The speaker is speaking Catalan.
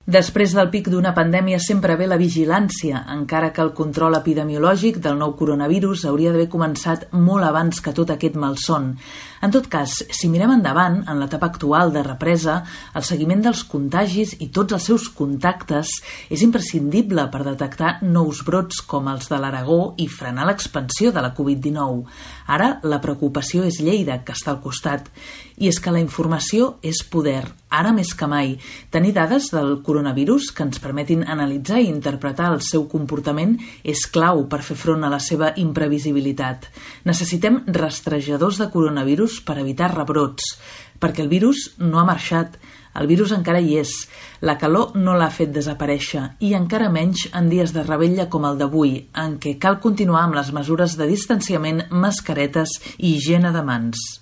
Després del pic d'una pandèmia sempre ve la vigilància, encara que el control epidemiològic del nou coronavirus hauria d'haver començat molt abans que tot aquest malson. En tot cas, si mirem endavant, en l'etapa actual de represa, el seguiment dels contagis i tots els seus contactes és imprescindible per detectar nous brots com els de l'Aragó i frenar l'expansió de la Covid-19. Ara, la preocupació és Lleida, que està al costat. I és que la informació és poder, ara més que mai. Tenir dades del coronavirus que ens permetin analitzar i interpretar el seu comportament és clau per fer front a la seva imprevisibilitat. Necessitem rastrejadors de coronavirus per evitar rebrots, perquè el virus no ha marxat. El virus encara hi és, la calor no l'ha fet desaparèixer i encara menys en dies de revetlla com el d'avui, en què cal continuar amb les mesures de distanciament, mascaretes i higiene de mans.